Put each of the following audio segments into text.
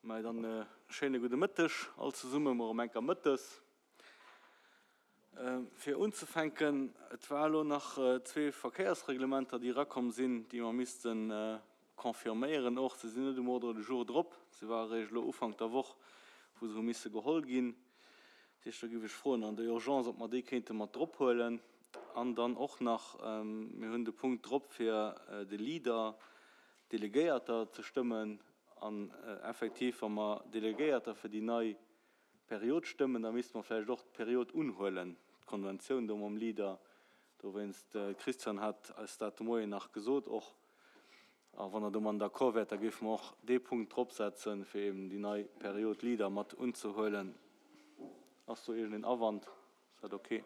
Mä dann e schéine gudde Mëtteg all zesummen, mol erëm enker mëttes. Fir unzefänken, et war elo nach zwee Verkéiersreglementer, déi erakomm sinn, déi mer misste confirméieren och. Se sinn net um Ordre du jour drop, se ware eréischt elo Ufank der Woch, wou se hu misse geholl ginn. Dat heescht, do géif ech froen an der Urgence, ob mer déi kéinte mat drop huelen. An dann och nach, mir hunn de Punkt drop, fir de Leader Delegéierter ze stëmmen. An effektiv, wa mer Delegéierter fir déi nei Period stëmmen, da misste mer vläicht och d'Period unhuelen, d'Konventioun do mam Leader. Dowéinst, de Christian hat eis dat de Moien nach gesot och. A wann Der domadden d'accord wäert, da géife mer och dee Punkt dropsetzen, fir eben déi nei Period Leader mat unzehuelen. Ass do iergendeen Awand? Ass dat ok?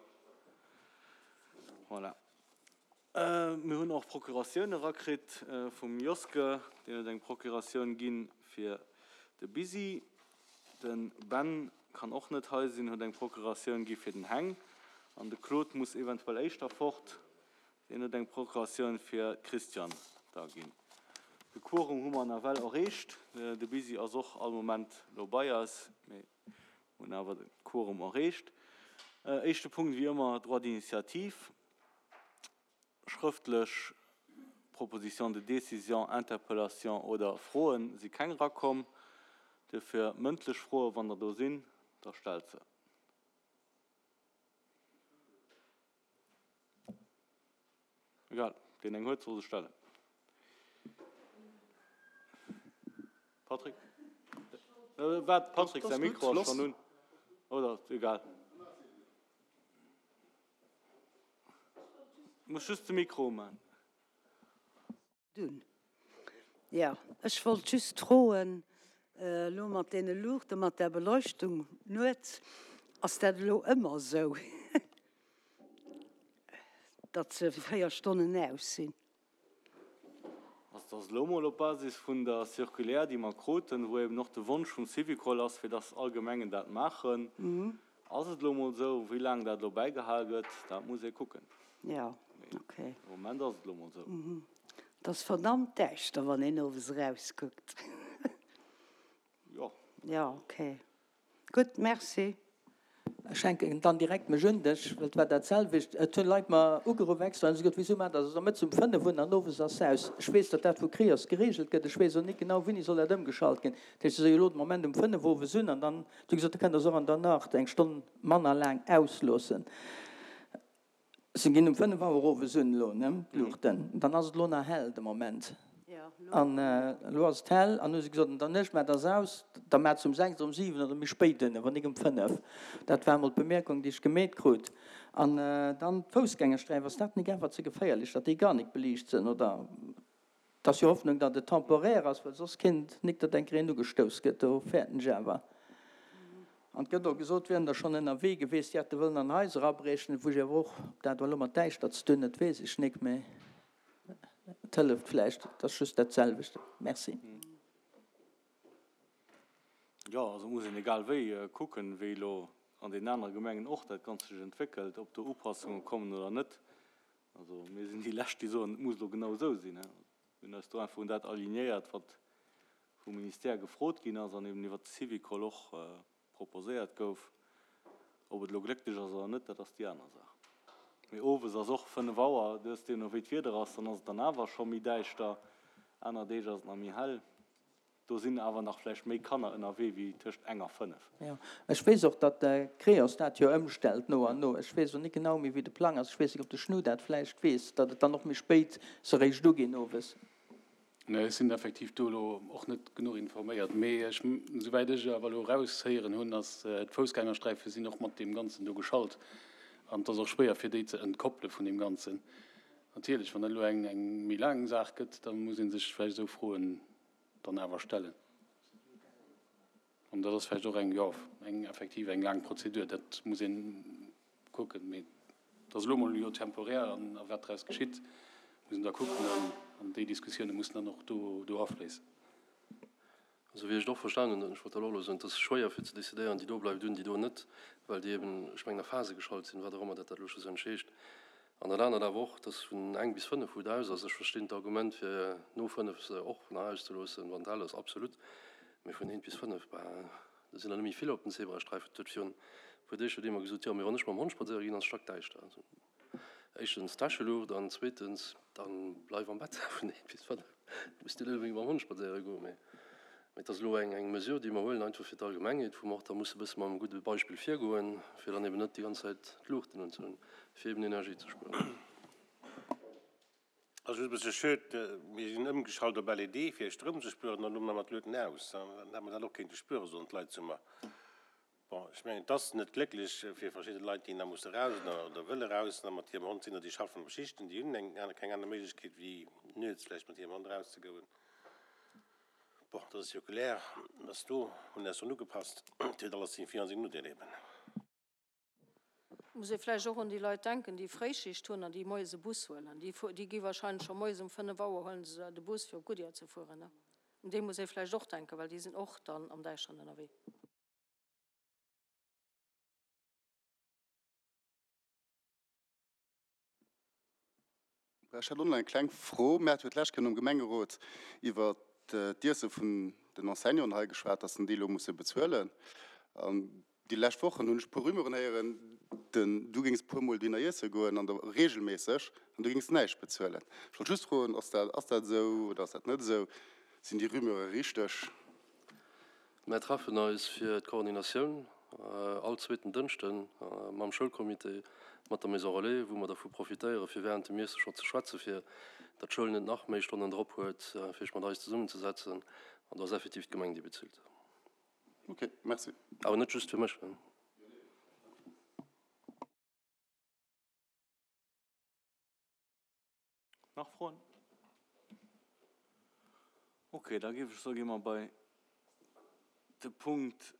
Voilà. Mir hunn och Procuratioun erakritt vum Joske, deen huet eng Procuratioun gi fir de Bisi. De Ben kann och net hei sinn, huet eng Procuratioun gi fir den Heng. An de Claude muss eventuell éischter fort, deen huet eng Procuratioun fir d'Christiane da ginn. De Quorum hu mer nawell erreecht. De Bisi ass och all Moment elo bei eis, mee hunn awer de Quorum erreecht. Éischte Punkt wéi ëmmer, Droit d'initiative. Schrëftlech Propositions de décision, Interpellations oder Froen si keng erakomm. Duerfir mëndlech Froen, wann der do sinn, da stellt se. Egal, deen eng huet, soll se stellen. Patrick? Waart, Patrick säi Mikro ass schonn un. Oder egal. Muss just de Mikro uman. Dunn. Jo, ech wollt just froen, elo mat deene Luuchten, mat där Beleuchtung nuets, ass dat elo ëmmer esou, datt se 4 Stonnen aus sinn? Also et ass elo mol op Basis vun der Circulaire, déi mer kruten, wou eben och de Wonsch vum Syvicol ass, fir dass all Gemengen dat maachen, ass et elo mol esou. Wéi laang dat elo bäigehal gëtt, dat muss ee kucken. Jo, okay. Mee de Moment ass et elo mol esou. Et ass verdammt däischter, wann een owes erauskuckt. Jo. Jo, okay. Gutt, merci. Ech hänken dann direkt mech un dech, well et war dat selwecht. Et hunn Leit mer ugeruff extra an hu gesot, Wisou maacht Der se mëttes um 5 un an owes ass se aus? Ech weess, datt dat vu Creos gereegelt gëtt. Ech weess och nik genau, wéini soll dat ëmgeschalt ginn. Dat heescht, se soe jo elo de Moment um 5 owes un an dann hu se gesot, da kënnt Der se och an der Nacht eng Stonn manner laang ausloossen. Se ginn um 5 Auer owes un elo, ne, d'Luuchten. Dann ass et elo nach hell de Moment. An elo ass et hell an hu se gesot, an der Nuecht maacht Der se aus, da maacht se um 6 oder um 7 oder méi spéit un, awer nik um 5. Dat war emol d'Bemierkung, déi ech gemeet krut. An dann d'Foussgängersträif, ass dat nik awer ze geféierlech, datt déi gar nik beliicht sënn, oder? Et ass jo Hoffnung, datt et temporaire ass, well soss kéint nik, datt eng Kéier een ugestouss gëtt. Do fäerten ech awer. An et gëtt och gesot, wieren der schonn ënnerwee gewiescht, déi hätte wëllen an Haiser abriechen. Wou ech awer och, ob dat elo mat Däischter ze dun huet, weess ech nik, mee et hëlleft vläicht. Et ass just dat selwecht. Merci. Jo, also et muss een egal wéi kucken, wéi elo an deenen anere Gemengen och dat Ganzt sech entwéckelt, ob do Upassunge kommen oder net. Also mir sinn déi Lescht, déi soen, et muss elo genau esou sinn. Mir hunn eis do einfach un dat alignéiert, wat vum Ministère gefrot ginn ass an eben iwwert de Syvicol och proposéiert gouf. Ob et elo glécklech ass oder net, dat ass déi aner Saach. Mee owes ass och 5 Auer, du hues deemno wéi d'Wieder ass, dann ass et dann awer scho méi däischter, aner Deeg ass et nach méi hell. Do sinn awer nach vläicht méi Kanner ënnerwee wéi tëscht eng a 5. Jo, ech weess och, datt de Creos dat jo ëmstellt no an no. Ech weess elo net genau méi, wéi de Plang ass. Ech weess net, ob de Schnu dat vläicht weess, datt et dann och méi spéit se eréischt uginn owes. Nee, ech sinn effektiv do elo och net genuch informéiert. Mee ech, souwäit ech awer elo eraushéieren hunn, ass d'Foussgängersträife sinn och mat deem Ganzen do geschalt an et ass och schwéier fir déi ze entkoppele vun deem Ganzen. Natierlech, wann dat elo eng méi laang Saach gëtt, da muss ee sech vläicht esou Froen dann awer stellen. An dat ass vläicht och eng, jo, eng effektiv eng laang Prozedur. Dat muss ee kucken. Mee et ass elo emol jo temporär an a wat draus geschitt, muss een da kucken. An déi Diskussioune mussen dann och do do afléissen. Esou wéi ech et och verstanen hunn, ech wollt dat och elo soen, et ass schwéier fir ze decidéieren, déi do bleift un, déi do net, well déi eben, ech mengen, a Phase geschalt sinn, wat och ëmmer dat dat elo schlussendlech heescht. An dat anert awer och, dass vun eng bis fënnef, wou et aus ass, ech verstinn d'Argument fir no fënnef se och nach auszeloossen, wann et hell ass, absolut. Mee vun eent bis fënnef, bah, do sinn der net méi vill op den Zebrasträifen. Et huet virun e puer Deeg huet ee mer gesot, jo, mee wann ech mam Hond spadséiere ginn, ass et stackdäischter. Also éischtens Täscheluucht an zweetens, dann bleif am Bett vun eent bis fënnef. Du muss net onbedéngt mam Hond spadséiere goen. Mee et ass elo eng eng Mesure, déi mer huelen, einfach fir d'Allgemengheet, wou mer och da musse e bësse mam gudde Beispill virgoen, fir dann eben net déi ganz Zäit d'Luuchten unzehunn, fir eben Energie ze spueren. Ass just e bësse schued, mir sinn ëmgeschalt op LED fir Stroum ze spueren an elo maache mer d'Luuten aus. Dann hätt mer dat och kéinte spueren, soen d'Leit zu mer. Bon, ech mengen, et ass net glécklech fir verschidde Leit, déi nach musse raus oder oder wëlle raus nach mat hirem Hond sinn oder déi schaffen op Schichten, déi hunn eng aner keng aner Méiglechkeet wéi nuets vläicht mat hirem Hond erauszegoen. Bon, dat ass Circulaire, ass do, hunn eis drun ugepasst. Et huet alles seng Vir an seng Nodeel eben. Muss ee vläicht och un déi Leit denken, déi Fréischicht hunn an déi moies e Bus huelen. Déi, déi gi wahrscheinlech scho moies um 5 Auer huelen se de Bus fir op Goodyear ze fueren, ne? Un déi muss ee vläicht och denken, well déi sinn och dann am Däischteren ënnerwee. Ech hätt och nach eng kleng Fro. Mir hate jo d'lescht Kéier nom Gemengerot iwwer d'Iesse vun den Enseignanten hei geschwat, dass en déi elo musse bezuelen. An déi lescht Wochen hunn ech e puer Rumeuren héieren, den, du géings e puer Mol dohinner iesse goen an der reegelméisseg an du géings näischt bezuelen. Ech wollt just froen, ass dat, ass dat esou oder ass dat net esou? Sinn déi Rumeure richteg? Mär treffen eis fir d'Koordinatioun all zweeten Dënschden mam Schoulcomité, mat der Maison Relais, wou mer dervu profitéiere fir während dem Iesse scho ze schwätze fir datt d'Schoul net nach méi Stonnen drop huet fir sech mat eis zesummenzesetzen. An do ass effektiv d'Gemeng déi bezilt. Ok, merci. Awer net just fir mech. Nach Froen? Ok, da géif ech soen, gi mer bei de Punkt.